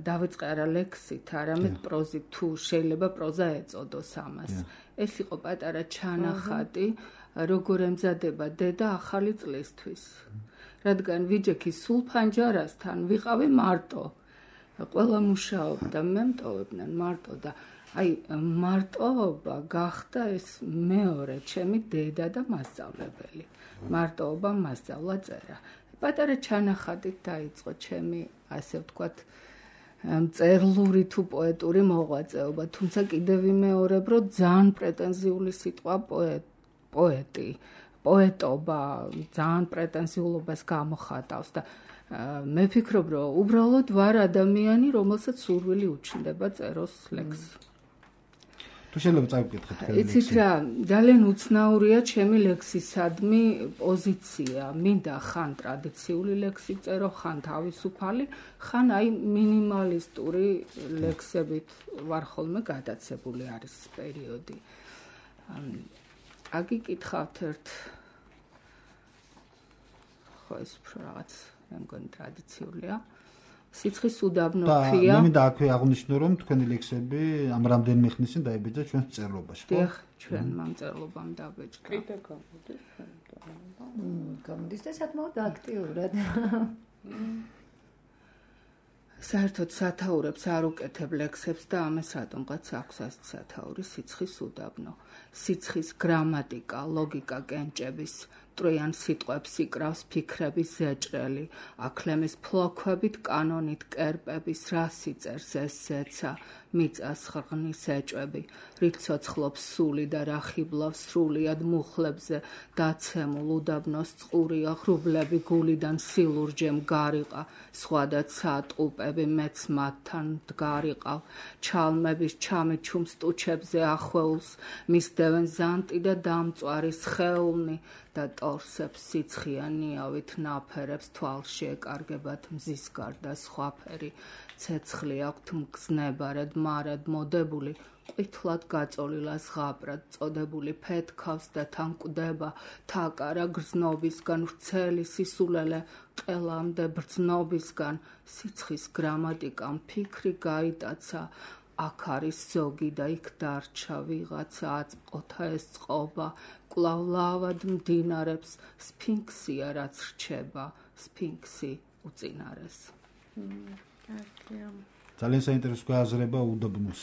A: დავიწყე არა ლექსით, არამედ პროზით, თუ შეიძლება პროზა ეწოდოს ამას. ეს იყო პატარა ჩანახატი, როგორ ემზადება დედა ახალი წლისთვის. რადგან ვიჯექი სულ ფანჯარასთან ვიყავი მარტო
F: ყველა მუშაობდა, მე მტოვებდნენ მარტო და აი მარტოობა გახდა ეს მეორე ჩემი დედა და მასწავლებელი. მარტოობა მასწავლა წერა. პატარა ჩანახატით დაიწყო ჩემი, ასე ვთქვათ, მწერლური თუ პოეტური მოღვაწეობა, თუმცა კიდევ ვიმეორებ, რომ ძალიან პრეტენზიული სიტყვა პოეტი, პოეტობა ძალიან პრეტენზიულობას გამოხატავს და მე ვფიქრობ, რომ უბრალოდ ვარ ადამიანი, რომელსაც სურვილი უჩნდება წეროს ლექსი.
B: თუ შეიძლება წავიკითხეთ თქვენი ლექსი.
F: იცით რა, ძალიან უცნაურია ჩემი ლექსისადმი პოზიცია. მინდა ხან ტრადიციული ლექსი წერო, ხან თავისუფალი, ხან აი მინიმალისტური ლექსებით ვარ ხოლმე გადაცებული არის პერიოდი. აგიკითხავთ ერთ ხო ეს რაღაც მე მგონი ტრადიციულია. სიცხის უდაბნო ქვია.
B: და მე მინდა აქვე აღვნიშნო, რომ თქვენი ლექსები ამ რამდენიმე ხნის წინ დაიბეჭდა ჩვენს მწერლობაში, ხო?
F: დიახ, ჩვენ მამწერლობამ დაბეჭდა.
E: კიდე გამოდის
D: გამოდის და საკმაოდ აქტიურად.
F: საერთოდ სათაურებს არ უკეთებ ლექსებს და ამას რატომღაც აქვს ასეთ სათაური სიცხის უდაბნო. სიცხის გრამატიკა, ლოგიკა კენჭების ტროიან სიტყვებს იკრავს ფიქრების ზეჭრელი, აკლემის ფლოქვებით, კანონით კერპების რას იწერს ეს ზეცა, მიწას ხრღნის ეჭვები, რით ცოცხლობს სული და რა ხიბლავს სრულიად მუხლებზე, დაცემულ უდაბნოს წყურია, ღრუბლები გულიდან სილურჯემ გარიყა, სხვადასხვა ტყუპები მეც მათთან დგარიყავ, ჩალმების ჩამიჩუმ სტუჩებზე ახვეულს, მისდევენ ზანტი და დამწვარი სხეულნი, და ტორსებს სიცხიანიავით ნაფერებს თვალში ეკარგებათ მზის გარდა სხვაფერი, ცეცხლი აქვთ მგზნებარად მარად მოდებული, ყვითლად გაწოლილა ზღაპრად წოდებული ფეთქავს და თან კვდება, თაკარა გრძნობისგან ვრცელი სისულელე ყელამდე ბრძნობისგან, სიცხის გრამატიკამ ფიქრი გაიტაცა, აქ არის ზოგი და იქ დარჩა ვიღაცა აწყოთა ეს წყობა, კვლავ ლავად მდინარებს სფინქსია რაც რჩება, სფინქსი უწინარეს.
B: ძალიან საინტერესო გააზრება უდაბნოს.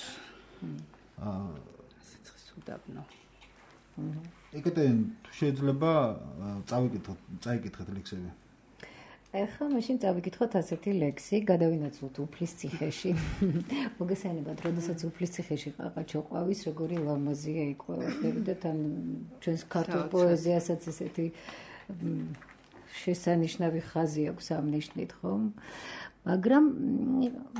F: სიცხის უდაბნო.
B: ეკეთენ თუ შეიძლება წაიკითხეთ ლექსები.
D: ახლა მაშინ წავიკითხოთ ასეთი ლექსი, გადავინაცვლოთ უფლის ციხეში. მოგესალმებით, როდესაც უფლის ციხეში ყაყაჩო ყვავის, როგორი ლამაზია იყვება და თან ჩვენს ქართულ პოეზიასაც ესეთი შესანიშნავი ხაზი აქვს ამ ნიშნით, ხო? მაგრამ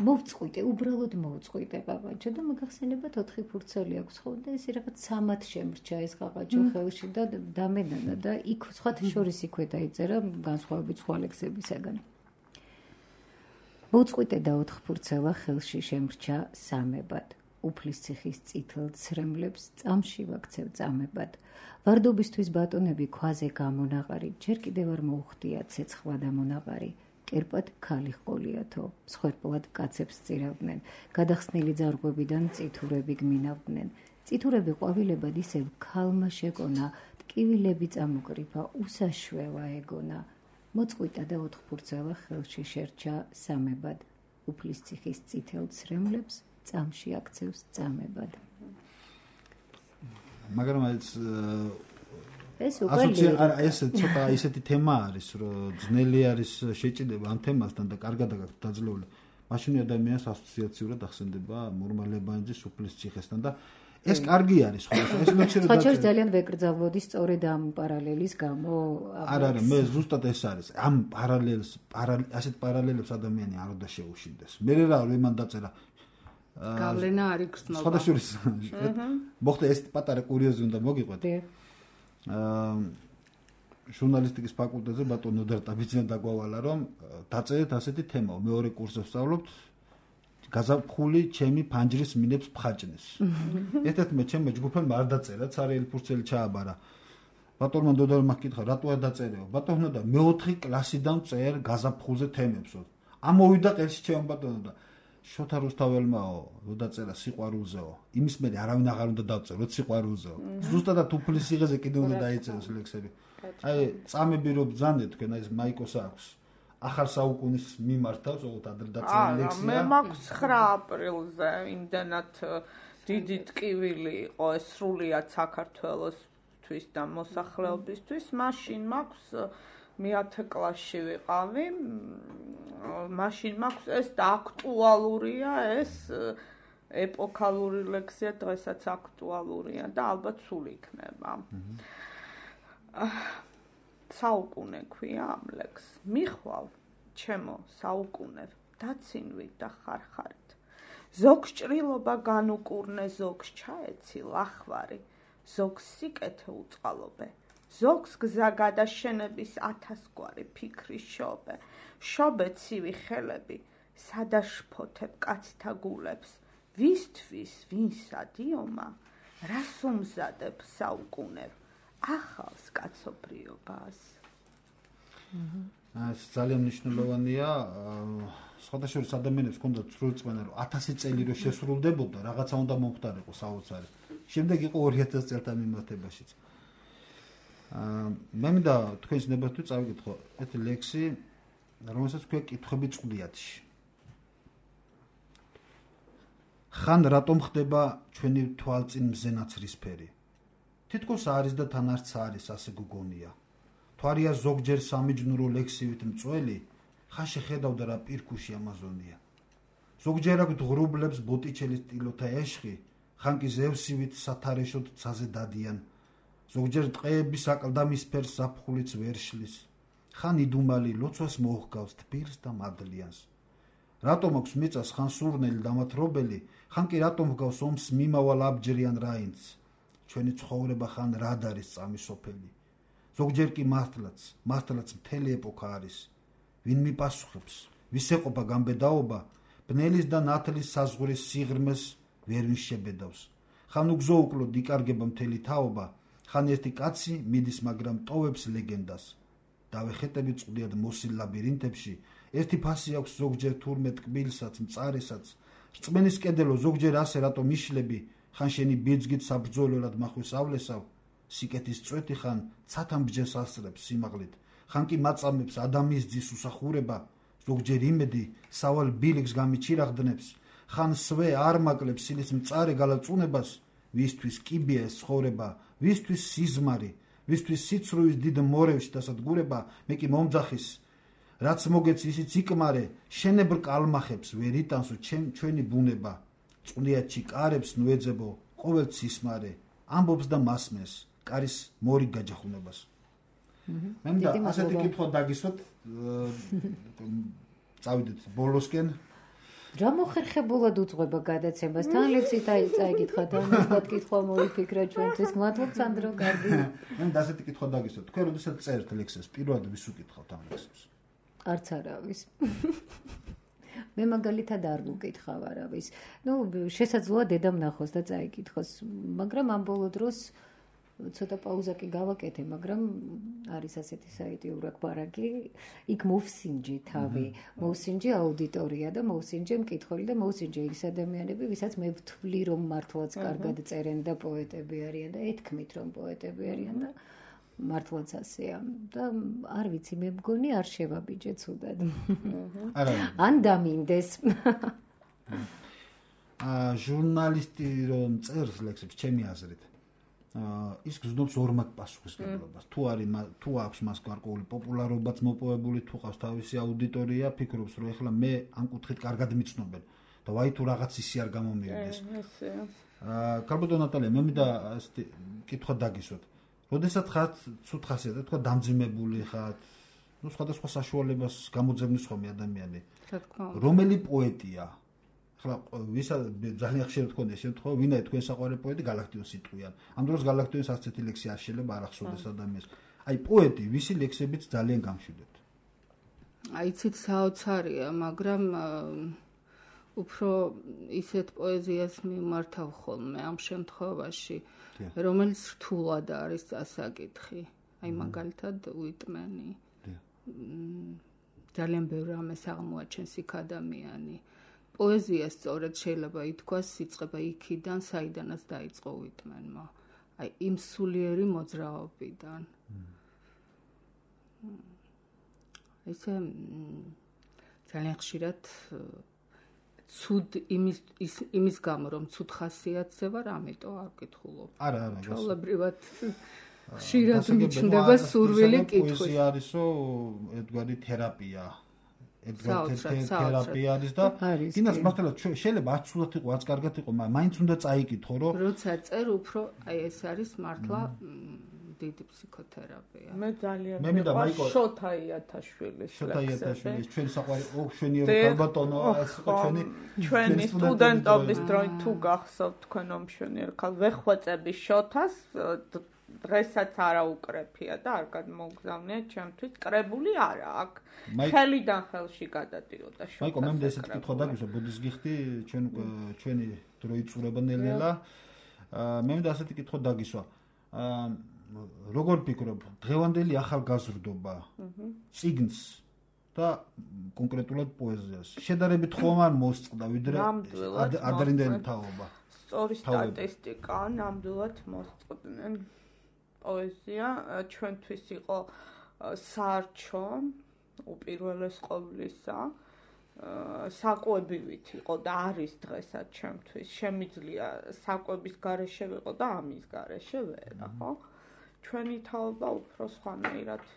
D: მოვწყვიტე, უბრალოდ მოვწყვიტე ყაყაჩო და მოგახსენებათ 4 ფურცელი აქვს, ხო? და ეს რაღაც სამად შემრჩა ეს ყაყაჩო ხელში და დამენანა და იქ სხვათა შორის იქვე დაიწერა განსხვავებით სხვა ლექსებისაგან. მოვწყვიტე და 4 ფურცელა ხელში შემრჩა სამებად. უფლის ციხის წითელ ცრემლებს წამში ვაქცევ წამებად. ვარდობისთვის ბატონები ქვაზე გამონაყარი, ჯერ კიდევ არ მოუხდია ცეცხლა და მონაყარი. კერპად ქალი ჰყოლიათო, მსხვერპლად კაცებს წირავდნენ, გადახსნილი ძარღვებიდან წითურები გმინავდნენ. წითურები ყვავილებად ისევ ქალმა შეკონა, ტკივილები წამოკრიფა, უსაშვევა ეგონა. მოწყვიტა და 4 ფურცელა ხელში შერჩა სამებად. უფლის ციხის წითელ ცრემლებს წამში აქცევს წამებად.
B: მაგრამ
D: ეს
B: ცოტა ისეთი თემა არის, რომ ძნელი არის შეჭიდება ამ თემასთან და კარგად აქვს დაძლეული. მაშინ ადამიანს ასოციაციურად ახსენდება მორმალებანძის უფლის ციხესთან და ეს კარგი არის, ხო? ეს
D: ლექსი ძალიან ვეკრძალვოდი სწორედ ამ პარალელის გამო.
B: არა, მე ზუსტად ეს არის. ამ ასეთ პარალელებს ადამიანი არ უნდა შეუშინდეს. მე რა იმან დაწერა
F: გავლენა არის გრძნობა.
B: სხვადასხვა მოხდა ეს პატარა კურიოზი უნდა მოგიყვეთ. ჟურნალისტიკის ფაკულტეტზე ბატონ ნოდარ ტაბიძინა დაგვავალა, რომ დაწერეთ ასეთი თემა, მეორე კურსზე ვსწავლობთ, გაზაფხული ჩემი ფანჯრის მინებს ფხაჭნის. ერთ-ერთმა ჩემმა ჯგუფმა არ დაწერა, ცარიელი ფურცელი ჩააბარა. ბატონმა ნოდარმა ჰკითხა, რატო არ დაწერეო? ბატონო და მე-4 კლასიდან წერ გაზაფხულზე თემებსო. ამოვიდა ყელში ჩემ ბატონო და შოთა რუსთაველმაო, რო დაწერა სიყვარულზეო. იმის მერე არავინ აღარ უნდა დავწეროთ სიყვარულზეო. ზუსტად უფლის ციხეზე კიდე უნდა დაიწეროს ლექსები. აი, წამები რო ბძანდეთ თქვენ, აი ეს მაიკოს აქვს. ახალ საუკუნის მიმართავს, ოღონდ ადრე დაწერილი ლექსია.
A: მე მაქვს 9 აპრილზე იმდანაც დიდი ტკივილი იყო ეს სრულიად საქართველოსთვის და მოსახლეობისთვის. მაშინ მაქვს მე 10 კლასში ვიყავი. მაშინ მაქვს ეს და აქტუალურია ეს ეპოქალური ლექსია, დღესაც აქტუალურია და ალბათ სულ იქნება. საუკუნე ქვია ამ ლექს. მიხვალ ჩემო საუკუნე დაცინვით და ხარხარით. ზოგს ჭრილობა განუკურნე, ზოგს ჩაეცი ლახვარი, ზოგს სიკეთე უწყალობე, ზოგს გზა გადაშენების 1000 გვარი ფიქრის შობე, შობე ცივი ხელები, სადაშფოთებ კაცთა გულებს, ვისთვის ვინსა დიომა, რას უმზადებ საუკუნევ, ახალს კაცობრიობას.
B: ეს ძალიან მნიშვნელოვანია. სხვადასხვა ადამიანებს ჰქონდათ სრულწმენა, რომ 1000 წელი რო შესრულდებოდა, რაღაცა უნდა მომხდარიყო საოცარი. შემდეგ იყო 2000 წელთან მიმართებაშიც. მე მინდა თქვენს ნებართვით წავიკითხო ეს ლექსი, რომელსაც ქვია კითხვები წყდიათში. ხან რატომ ხდება ჩვენი თვალწინ მზენაცრისფერი? თითქოს არის და თან არც არის, ასე გგონია. თვარია ზოგჯერ სამიჯნურო ლექსივით მწველი, ხან შეხედავდა რა პირქუში ამაზონია. ზოგჯერ აქვს ღრუბლებს ბოტიჩელის ტილოთა ეშხი, ხან კი ზევსივით სათარეშოდ ცაზე დადიან. ზოგჯერ ტყეების აკლდამისფერს ზაფხულიც ვერ შლის. ხან იდუმალი ლოცვას მოჰგავს თბილს და მადლიანს. რატომ აქვს მიწას ხან სურნელი დამათრობელი, ხან კი რატომ ჰგავს ომს მიმავალ აბჯრიან რაინდს. ჩვენი ცხოვრება ხან რად არის წამისოფელი. ზოგჯერ კი მართლაც მთელი ეპოქა არის. ვინ მიპასუხებს, ვის ეყოფა გამბედაობა, ბნელის და ნათლის საზღვრის სიღრმეს ვერ ვინ შებედავს. ხან უგზო უკლოდ იკარგება მთელი თაობა, ხან ერთი კაცი მიდის, მაგრამ ტოვებს ლეგენდას. დავეხეტები წყდიად მოსილ ლაბირინთებში, ერთი ფასი აქვს ზოგჯერ თურმე ტკბილსაც, მწარესაც, რწმენის კედელო ზოგჯერ ასე რატომ იშლები, ხან შენი ბიძგით საბრძოლველად მახვისავლესავ, სიკეთის წვეთი ხან ცათან ბჯენს ასწრებს სიმაღლით, ხან კი მაწამებს ადამის ძის უსახურება, ზოგჯერ იმედი სავალ ბილიქს გამიჩირაღდნებს, ხან სვე არ მაკლებს სილის მწარე გალაწუნებას, ვისთვის კიბია ეს ცხოვრება, ვისთვის სიზმარი, ვისთვის სიცრუის დიდ მორევში დასადგურება, მე კი მომძახის, რაც მოგეც ისიც იკმარე, შენებრ კალმახებს ვერ იტანსო ჩვენი ბუნება, წყდიათში კარებს ნუეძებო, ყოველ ცისმარე, ამბობს და მასმეს, კარის მორი გაჯახუნებას. მე მინდა ასეთი კითხვა დაგისვათ, წავიდეთ ბოლოსკენ.
D: რა მოხერხებულად უძღვება გადაცემას? თან ლექსით წაიკითხა, თან თქვათ კითხვა მოიფიქრა ჩვენთვის. მადლობთ სანდრო, კარგი.
B: მე მინდა ასეთი კითხვა დაგისვათ. თქვენ როდესაც წერთ ლექსებს, პირველად ვის უკითხავთ ამ ლექსებს?
D: არც არავის. მე მაგალითად არ ვუკითხავ არავის. შესაძლოა დედამ ნახოს და წაიკითხოს, მაგრამ ამ ბოლო დროს ცოტა პაუზა კი გავაკეთე, მაგრამ არის ასეთი საიტი ურაკბარაკი, იქ მოვსინჯი თავი, მოვსინჯი აუდიტორია და მოვსინჯე მკითხველი და მოვსინჯე ის ადამიანები, ვისაც მე ვთვლი, რომ მართლაც კარგად წერენ და პოეტები არიან და ეთქმით, რომ პოეტები არიან და მართლაც ასეა და არ ვიცი, მე მგონი არ შევაბიჯე ცუდად. ან დამინდეს.
B: ჟურნალისტი რომ წერს ლექსებს, ჩემი აზრით, ის გზნობს ორმაგ პასუხისმგებლობას. თუ აქვს მას გარკვეული პოპულარობაც მოპოვებული, თუ ყავს თავისი აუდიტორია, ფიქრობს, რომ ეხლა მე ამ კუთხით კარგად მიცნობენ და ვაი თუ რაღაც ისი არ გამომიერდეს. კარბოდო ნატალია, მე მინდა ასეთი კითხვა დაგისვათ. როდესაც ხართ ცუდ ხასიათად, თქვა დამძიმებული ხართ, სხვადასხვა საშუალებას გამოძებნის ხოლმე ადამიანი. რომელი პოეტია? ახლა ძალიან ხშირად გქონდა შემთხვევა, ვინაი თქვენ საყვარელი პოეტი გალაქტიონს იტყვიან. ამ დროს გალაქტიონს ასეთი ლექსი არ შეიძლება არ ახსოვდეს ადამიანს. აი პოეტი, ვისი ლექსებიც ძალიან გამშვიდობთ.
F: აიცით საოცარია, მაგრამ უფრო ისეთ პოეზიას მიმართავ ხოლმე ამ შემთხვევაში, რომელიც რთულად არის წასაკითხი. აი მაგალითად უიტმენი. ძალიან ბევრ რამეს აღმოაჩენს იქ ადამიანი. პოეზია სწორედ შეიძლება ითქვას იწყება იქიდან, საიდანაც დაიწყო უიტმენმა. აი იმ სულიერი მოძრაობიდან. ესე ძალიან ხშირად ცუდ იმის გამო რომ ცუდ ხასიათზე ვარ, ამიტომ არ ვკითხულობ.
B: არა,
F: ჩვეულებრივად ხშირად მიჩნდება სურვილი კითხვის.
B: პოეზია არისო ერთგვარი თერაპია. თერაპია არის და კიდაც მართლა შეიძლება არც ცუდად იყო, არც კარგად იყო, მაგრამ მაინც უნდა წაიკითხო, რომ
F: როცა წერ უფრო ეს არის მართლა დიდი ფსიქოთერაპია.
A: მე ძალიან მეყვარს შოთა იათაშვილის ლექსები.
B: ჩვენი საყვარი შვენიერო ქალბატონო, ეს იყო
A: ჩვენი სტუდენტობის დროით თუ გახსოვთ თქვენ მშვენიერ ქალ ვეხვეწები შოთას დღესაც არა უკრეფია და არ გადმოგზავნია ჩემთვის კრებული არა აქ ხელიდან ხელში გადადიოდა შოთა.
B: მაიკო მე ესეთ კითხვა დაგვისვა ბუდის გიხდი ჩვენი დრო იწურება ნელ-ნელა მე მინდა ასეთი კითხვა დაგისვა როგორ ფიქრობ დღევანდელი ახალგაზრდობა წიგნს და კონკრეტულად პოეზიას შედარებით ხომ არ მოსწყდა ვიდრე ადრინდელი თაობა
A: სწორი სტატისტიკა ნამდვილად მოსწყდნენ პოეზია ჩვენთვის იყო საარჩო უპირველეს ყოვლისა საკვებივით იყო და არის დღესაც ჩემთვის შემიძლია საკვების გარეშე ვიყო და ამის გარეშე ვერა ხო ჩვენი თაობა უფრო სხვანაირად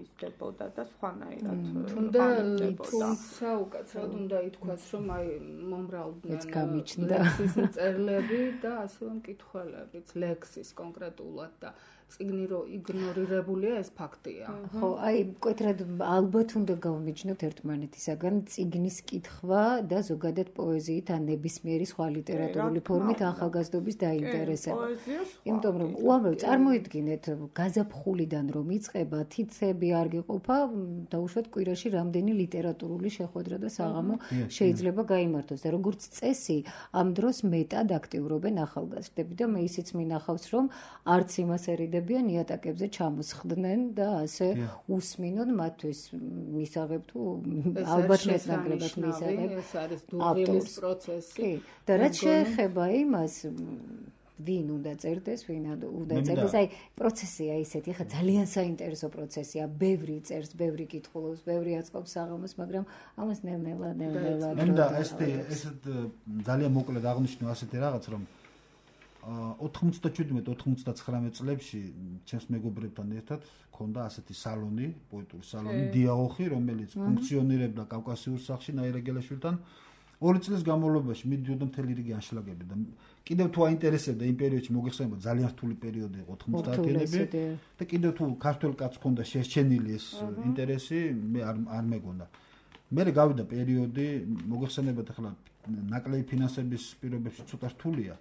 A: ისდებოდა და სხვანაირად
F: თუმცა უკაცრავად უნდა ითქვას რომ აი მომრავლდნენ ლექსის წერლები და ასევე მკითხველებიც ლექსის კონკრეტულად და წიგნი რო იგნორირებულია ეს ფაქტია.
D: ხო, აი მკვეთრად ალბათ უნდა გავმიჯნოთ ერთმანეთისაგან წიგნის კითხვა და ზოგადად პოეზიით ან ნებისმიერი სხვა ლიტერატურული ფორმით ახალგაზრდობის დაინტერესება. იმიტომ რომ უამრავ წარმოიდგინეთ გაზაფხულიდან რომ იწყება თითები არ გიყოფა დაუშვათ კვირაში რამდენი ლიტერატურული შეხვედრა და საღამო შეიძლება გაიმართოს და როგორც წესი ამ დროს მეტად აქტიურობენ ახალგაზრდები და მე ისიც მინახავს რომ არც იმას დებიან იატაკებზე ჩამოსხდნენ და ასე უსმინონ მათთვის მისაღებ თუ ალბათ მეტნაკლებად მისაღებ
F: ეს არის დუღილის პროცესი
D: და რაც შეეხება იმას ვინ უნდა წერდეს ვინ უნდა წერდეს აი პროცესია ისეთი ხა ძალიან საინტერესო პროცესია ბევრი წერს ბევრი კითხულობს ბევრი აწყობს საღამოს მაგრამ ამას ნელ-ნელა
B: და ეს ძალიან მოკლედ აღნიშნო ასეთი რაღაც რომ 97-99 წლებში ჩემს მეგობრებთან ერთად ქონდა ასეთი სალონი, პოეტური სალონი, დიაოხი, რომელიც ფუნქციონირებდა კავკასიურ სახლში ნაირაგელაშვილთან. 2 წლის განმავლობაში მიდიოდა მთელი რიგი ანშლაგები და კიდევ თუ აინტერესებდა იმ პერიოდში მოგეხსენება ძალიან რთული პერიოდი იყო 90-იანები და კიდევ თუ ქართულ კაცს ქონდა შესჩენილი ეს ინტერესი, მე არ მეგონდა. მე გავიდა პერიოდი, მოგეხსენებათ ახლა ნაკლები ფინანსების პირობებში ცოტა რთულია.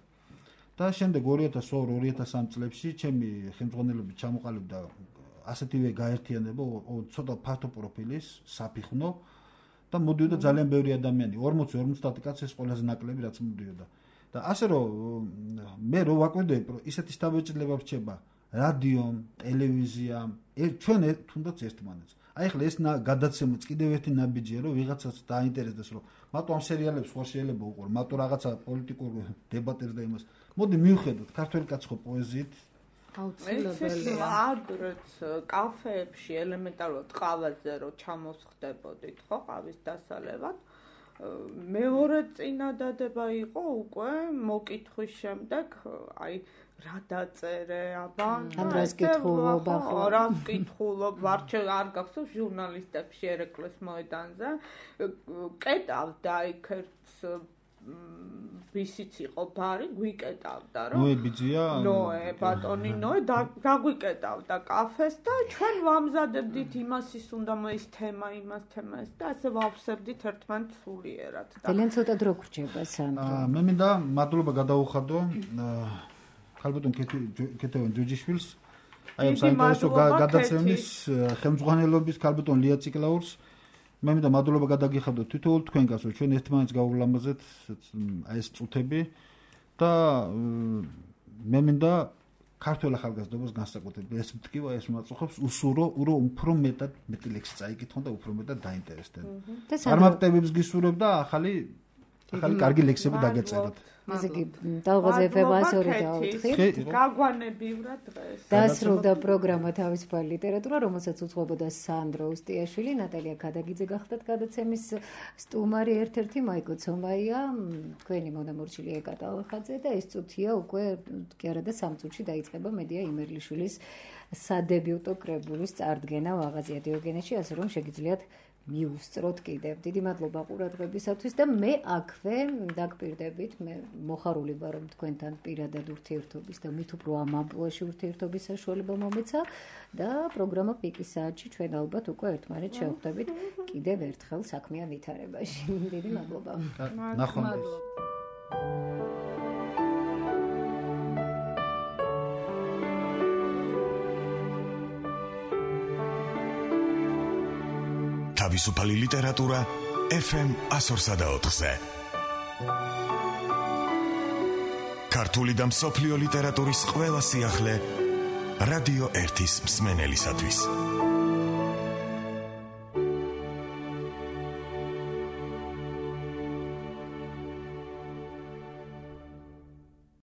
B: და შემდეგ 2002-2003 წლებში ჩემი ხელმძღვანელობით ჩამოყალიბდა ასეთივე გაერთიანება ცოტა ფართო პროფილის საფიხნო და მოდიოდა ძალიან ბევრი ადამიანი 40-50 კაცი ეს ყველაზე ნაკლები რაც მოდიოდა და ასე რომ მე რო ვაკვირდები ისეთი შთაბეჭდილება რჩება რადიომ ტელევიზიამ ჩვენ თუნდაც ერთმანეთს აი ახლა ეს გადაცემაც კიდევ ერთი ნაბიჯია რომ ვიღაცას დაინტერესდეს რომ მარტო ამ სერიალებს ხო შეიძლება უყურო მარტო რაღაცა პოლიტიკურ დებატებს და იმას მოდი მივხედოთ ქართველი კაცი ხო პოეზიით
A: აუცილებელია აგრეთ კაფეებში ელემენტარულად ყავაზე რომ ჩამოსხდებოდით ხო ყავის დასალევად მეორე წინადადება იყო უკვე მოკითხვის შემდეგ აი რა დაწერე აბა
D: რას კითხულობ
A: რას კითხულობ ვარჩე არ გახსოვს ჟურნალისტებში ერეკლეს მოედანზე კეტავდა იქ ერთს ვისიც იყო ბარი გვიკეტავდა რომ
B: ნოე ბიძია
A: ნოე ბატონი ნოე დაგვიკეტავდა კაფეს და ჩვენ ვამზადებდით იმას ის უნდა მოის თემა იმას თემას და ასე ვავსებდით ერთმანეთს სულიერად და
D: ძალიან ცოტა დრო გრჩება სანდრო
B: მე მინდა მადლობა გადაუხადო ქალბატონ კეთევან ჯოჯიშვილს აი ამ საინტერესო გადაცემის ხელმძღვანელობის ქალბატონ ლია ციკლაურს მე მინდა მადლობა გადაგიხადო თითოეულ თქვენგანს რომ ჩვენ ერთმანეთს გავულამაზეთ აი ეს წუთები და მე მინდა ქართულ ახალგაზრდობას განსაკუთრებით ეს მტკივა ეს მაწუხებს უსურო უფრო მეტი ლექსი წაიკითხონ და უფრო მეტად დაინტერესდნენ. წარმატებებს გისურვებ და ახალი კარგი ლექსები დაგეწეროთ.
D: ესე იგი ტალღაზე FM-102 და 4
A: გაგვანებივრა დღეს.
D: დასრულდა პროგრამა თავისუფალი ლიტერატურა, რომელსაც უძღვებოდა სანდრო უსტიაშვილი, ნატალია ქადაგიძე გახდათ გადაცემის სტუმარი, ერთ-ერთი მაიკო ცომაია, თქვენი მონამორჩილი ეკატა ალხაძე და ეს წუთია უკვე კი არა და 3 წუთში დაიწყება მედია იმერლიშვილის სადებიუტო კრებულის წარდგენა მაღაზია დიოგენეში, ასე რომ შეგიძლიათ მიუსწროთ კიდევ. დიდი მადლობა ყურადღებისათვის და მე აქვე დაგპირდებით, მე მოხარული ვარ რომ თქვენთან პირადად ურთიერთობის და მით უფრო ამ ამპლუაში ურთიერთობის საშუალება მომეცა და პროგრამა პიკის საათში ჩვენ ალბათ უკვე ერთმანეთს შევხვდებით კიდევ ერთხელ საქმიან ვითარებაში. დიდი მადლობა.
B: ნახვამდის.
G: თავისუფალი ლიტერატურა FM 104-ზე. ქართული და მსოფლიო ლიტერატურის ყველა სიახლე რადიო 1-ის მსმენელისათვის.